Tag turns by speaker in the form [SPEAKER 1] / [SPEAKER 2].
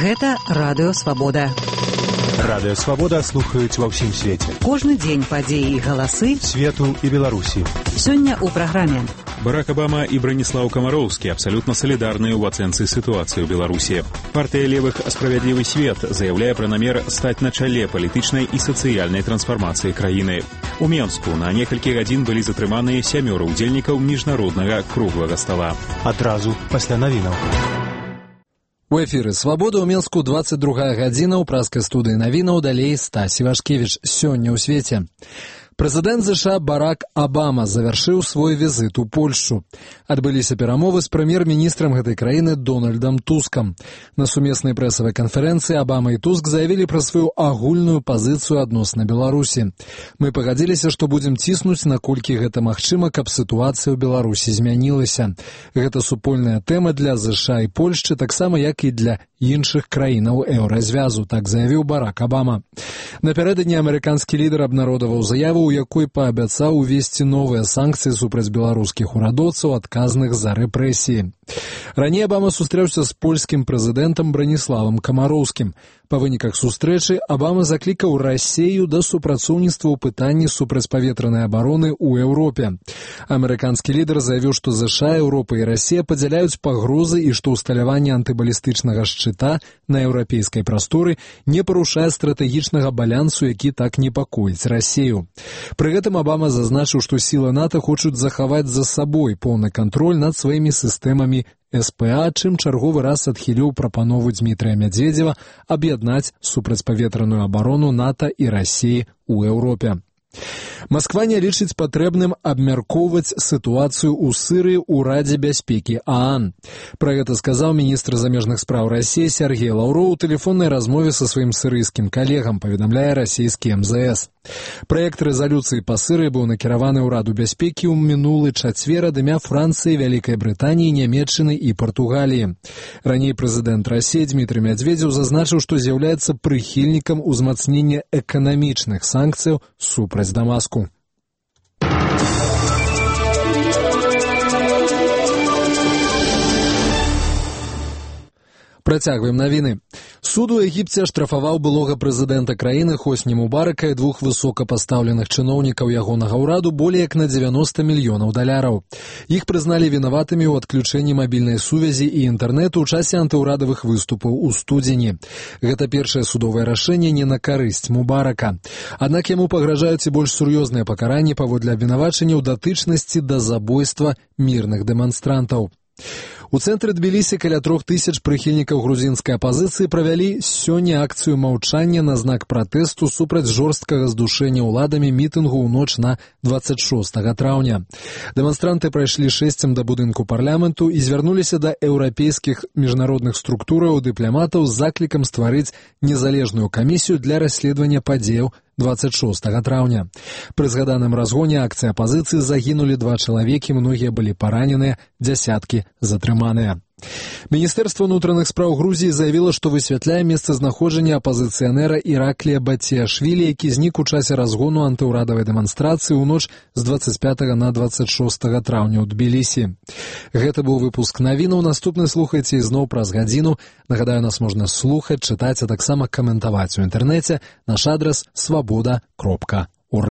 [SPEAKER 1] Гэта Радыё Свабода.
[SPEAKER 2] Радыё Свабода слухаюць ва ўсім свеце.
[SPEAKER 1] Кожны дзень падзеі і галасы
[SPEAKER 2] свету і Беларусі.
[SPEAKER 1] Сёння ў праграме.
[SPEAKER 3] Барак Обама и Бранислав Комаровский абсолютно солидарны в оценке ситуации в Беларуси. Партия левых «Справедливый свет» заявляя про намер стать на чале политичной и социальной трансформации краины. У Менску на некалькі гадзін былі затрыманыя 7 удзельнікаў міжнароднага круглага стола.
[SPEAKER 2] Адразу пасля навінаў.
[SPEAKER 4] У эфіры «Свабода» ў Менску 22 гадзіна ў праскай студыі навінаў, далей Стась Івашкевіч. Сёння ў свеце. Прэзідэнт США Барак Обама завяршыў свой візіт у Польшчу. Адбыліся перамовы з прэм'ер-міністрам гэтай краіны Дональдам Тускам. На сумеснай прэсавай канферэнцыі Обама і Туск заявілі пра сваю агульную пазіцыю адносна Беларусі. Мы пагадзіліся, што будзем ціснуць, наколькі гэта магчыма, каб сітуацыя ў Беларусі змянілася. Гэта супольная тэма для США і Польшчы, таксама як і для іншых краінаў еўразвязу, так заявіў Барак Обама. Напярэдадні амерыканскі лідар абнародаваў заяву, у якой паабяцаў увесці новыя санкцыі супраць беларускіх урадоўцаў, адказных за рэпрэсіі. Раней Обама сустрэўся з польскім прэзідэнтам Браніславам Камароўскім. Па выніках сустрэчы Обама заклікаў Расею да супрацоўніцтва ў пытанні супрацьпаветранай абароны ў Еўропе. Амерыканскі лідар заявіў, што США, Еўропа і Расія падзяляюць пагрозы і што ўсталяванне антыбалістычнага шчыта на еўрапейскай прасторы не парушае стратэгічнага балансу, які так непакоіць Расею. Пры гэтым Обама зазначыў, што сілы НАТО хочуць захаваць за сабой поўны кантроль над сваімі сістэмамі СПА, чым чарговы раз адхіліў прапанову Дмітрия Медведзева аб'яднаць супрацьпаветраную абарону НАТО і Расіі ў Еўропе. Масква не лічыць патрэбным абмяркоўваць сітуацыю ў Сырыі ў Радзе бяспекі ААН. Пра гэта сказаў міністр замежных спраў Расіі Сергей Лаўроў у тэлефоннай размове са сваім сырыйскім калегам, паведамляе расійскі МЗС. Праект рэзалюцыі па Сырыі быў накіраваны ў Раду бяспекі ў мінулы чацвер ад імя Францыі, Вялікай Брытаніі, Нямецчыны і Партугаліі. Раней прэзідэнт Расіі Дмітрий Медведзеў зазначыў, што з'яўляецца прыхільнікам узмацнення эканамічных санкцыяў супраць Дамаску. Працягваем навіны. Суд у Егіпце аштрафаваў былога прэзідэнта краіны Хосні Мубарака і двух высокапастаўленых чыноўнікаў ягонага ўраду болей як на 90 мільёнаў даляраў. Іх прызналі вінаватымі ў адключэнні мабільнай сувязі і інтэрнэту ў часе антыўрадавых выступаў у студзені. Гэта першае судовае рашэнне не на карысць Мубарака. Аднак яму пагражаюць і больш сур'ёзныя пакаранні паводле абвінавачання ў датычнасці да забойства мірных дэманстрантаў. У цэнтры Тбілісі каля 3000 прыхільнікаў грузінскай апазіцыі правялі сёння акцыю маўчання на знак пратэсту супраць жорсткага здушэння ўладамі мітынгу ў ноч на 26 траўня. Дэманстранты прайшлі шэсцем да будынку парламенту і звярнуліся да еўрапейскіх міжнародных структураў дыпламатаў з заклікам стварыць незалежную камісію для расследавання падзеяў 26 траўня. Пры згаданым разгоне акцыі апазіцыі загінулі 2 чалавекі, многія былі параненыя, дзясяткі затрыманыя. Міністэрства ўнутраных спраў Грузіі заявіла, што высвятляе месцазнаходжанне апазіцыянера Іраклія Батіашвілі, які знік у часе разгону антыўрадавай дэманстрацыі ў ноч з 25 на 26 траўня ў Тбілісі. Гэта быў выпуск навінаў. Наступны слухайце ізноў праз гадзіну. Нагадаю, нас можна слухаць, чытаць, а таксама каментаваць у інтэрнэце. Наш адрас свабода.орг.